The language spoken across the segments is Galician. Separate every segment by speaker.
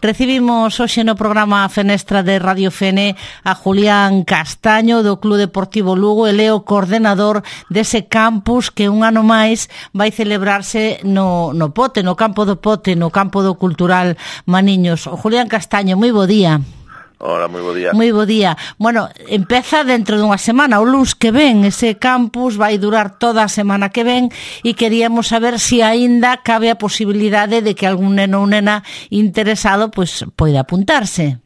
Speaker 1: Recibimos hoxe no programa Fenestra de Radio Fene a Julián Castaño do Club Deportivo Lugo, ele é o coordenador dese campus que un ano máis vai celebrarse no Pote, no campo do Pote, no campo do Cultural Maniños. O Julián Castaño, moi bo día.
Speaker 2: Hola, moi bo día.
Speaker 1: Moi bo día. Bueno, empeza dentro dunha semana, o luns que ven, ese campus vai durar toda a semana que ven e queríamos saber se aínda cabe a posibilidade de que algún neno ou nena interesado pois poida apuntarse.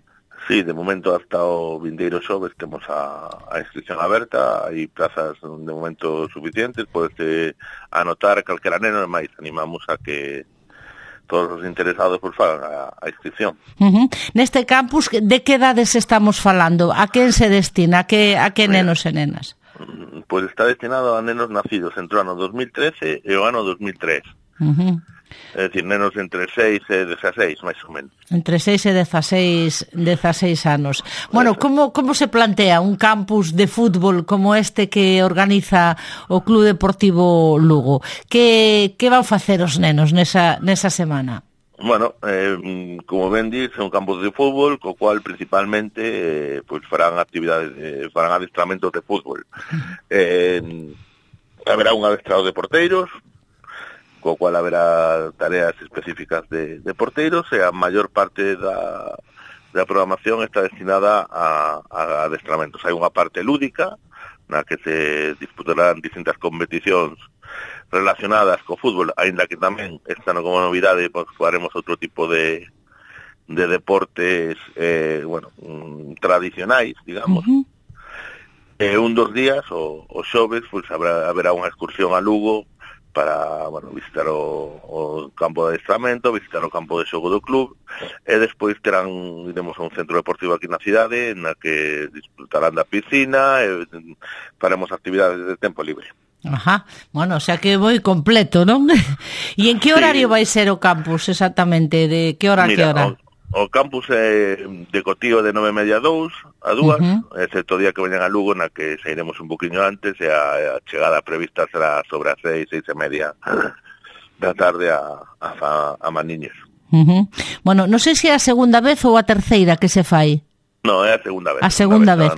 Speaker 2: Sí, de momento hasta o vindeiro xoves temos a inscripción aberta, hai plazas de momento suficientes, podes anotar calquera neno, e máis animamos a que todos os interesados por fagan a inscripción.
Speaker 1: Neste campus, de que edades estamos falando? A quen se destina? A que nenos e nenas?
Speaker 2: Pois está destinado a nenos nacidos entre o ano 2013 e o ano 2003. É dicir, nenos entre 6 e 16, máis ou menos.
Speaker 1: Entre 6 e 16 anos. Bueno, como se plantea un campus de fútbol como este que organiza o Club Deportivo Lugo? Que van facer os nenos nesa semana?
Speaker 2: Bueno, como ben dis, é un campus de fútbol, co cual principalmente pois farán actividades, farán adestramentos de fútbol. Haberá un adestrado de porteiros, co cual haberá tareas específicas de porteiros, e a maior parte da programación está destinada a adestramentos. Hai unha parte lúdica, na que se disputarán distintas competicións relacionadas co fútbol, aínda que tamén esta como novidade pues, faremos outro tipo de deportes tradicionais, digamos. Un dos días, o xoves, pues, haberá unha excursión a Lugo para visitar o campo de adestramento, visitar o campo de xogo do club, e despois iremos a un centro deportivo aquí na cidade, na que disfrutarán da piscina, e faremos actividades de tempo libre.
Speaker 1: Ajá, bueno, o sea que moi completo, non? E en que horario vai ser o campus exactamente? De que hora a que hora?
Speaker 2: O campus é de cotío de 9:30 a 2, excepto o día que veñan a Lugo, na que sairemos un poquinho antes, e a chegada prevista será sobre as 6:30 da tarde a Maniños.
Speaker 1: Bueno, non sei se é a segunda vez ou a terceira que se fai.
Speaker 2: No, é a segunda vez.
Speaker 1: A segunda vez.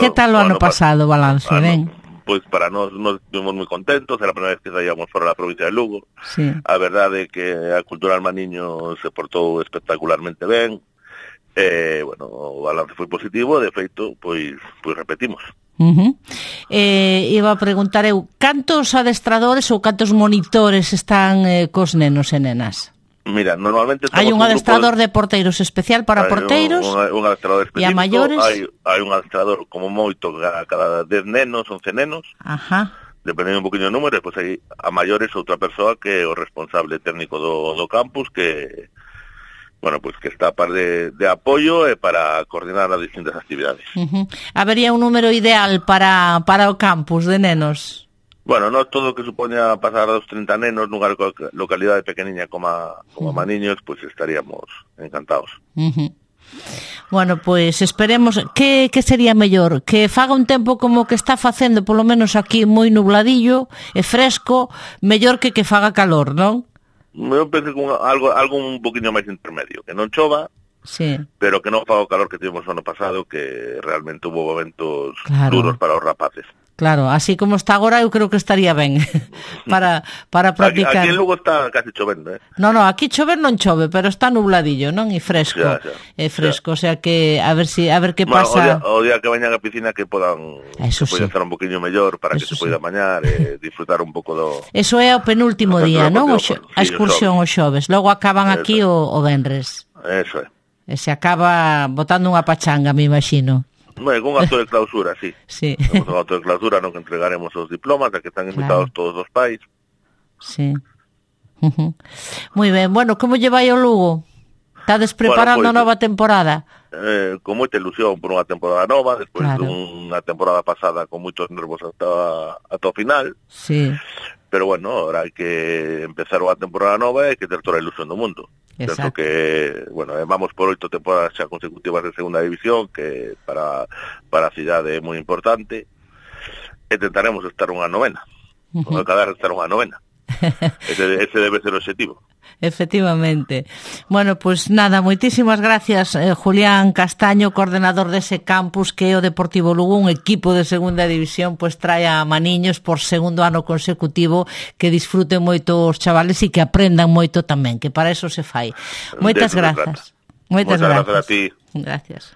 Speaker 1: Que tal o ano pasado, balance, ben?
Speaker 2: Pois para nós estivemos moi contentos, era a primeira vez que saíamos fora da provincia de Lugo.
Speaker 1: Sí.
Speaker 2: A verdade é que a Cultural Maniño se portou espectacularmente ben, o balance foi positivo, de feito, pois repetimos.
Speaker 1: Iba a preguntar eu, cantos adestradores ou cantos monitores están cos nenos e nenas?
Speaker 2: Mira, normalmente
Speaker 1: hai un adestrador de porteiros especial para porteiros,
Speaker 2: un adestrador específico,
Speaker 1: e a maiores
Speaker 2: hai un adestrador como moito cada 10 nenos, 11 nenos. Dependendo un poquinho do número, depois hai a maiores outra persoa que é o responsable técnico do campus, que que está a par de apoio e para coordinar as distintas actividades.
Speaker 1: Habería un número ideal para o campus de nenos?
Speaker 2: Bueno, non todo o que supoña pasar dos 30 nenos nunha localidade pequeniña como Maniños, pois estaríamos encantados.
Speaker 1: Bueno, pois esperemos que sería mellor, que faga un tempo como que está facendo, polo menos aquí moi nubladillo e fresco, mellor que faga calor, non?
Speaker 2: Eu penso que algo un poquinho máis intermedio, que non chova,
Speaker 1: sí,
Speaker 2: pero que non faga o calor que tivemos o ano pasado, que realmente hubo momentos duros para os rapaces.
Speaker 1: Claro, así como está agora, eu creo que estaría ben para practicar.
Speaker 2: Aquí en Lugo está casi chovendo,
Speaker 1: No, aquí chover non chove, pero está nubladillo, non? E fresco. É fresco, o sea que a ver que pasa.
Speaker 2: O día que veñan a piscina que podan estar un poquinho mellor para que se poida bañar e disfrutar un pouco do.
Speaker 1: Eso é o penúltimo día, non? A excursión o xoves. Logo acaban aquí o venres.
Speaker 2: Eso é.
Speaker 1: E se acaba botando unha pachanga, me imagino.
Speaker 2: Con acto de clausura, sí. Con acto de clausura non entregaremos os diplomas, a que están invitados todos os pais.
Speaker 1: Sí. Moi ben, bueno, como lle vai o Lugo? Estades preparando a nova temporada?
Speaker 2: Con moita ilusión por unha temporada nova, despois dunha temporada pasada con moitos nervos ata o final.
Speaker 1: Sí.
Speaker 2: Pero bueno, ahora hai que empezar unha temporada nova e hai que ter toda a ilusión do mundo. Penso que, vamos por 8 temporadas xa consecutivas de segunda división, que para a cidade é moi importante, e tentaremos estar unha novena, acabar de estar unha novena. Ese debe ser o objetivo.
Speaker 1: Efectivamente. Bueno, pues nada, moitísimas gracias, Julián Castaño, coordenador dese campus que é o Deportivo Lugo, un equipo de segunda división, pues trae a maniños por segundo ano consecutivo, que disfruten moito os chavales e que aprendan moito tamén, que para eso se fai. Moitas grazas.
Speaker 2: Moitas grazas a ti.
Speaker 1: Gracias.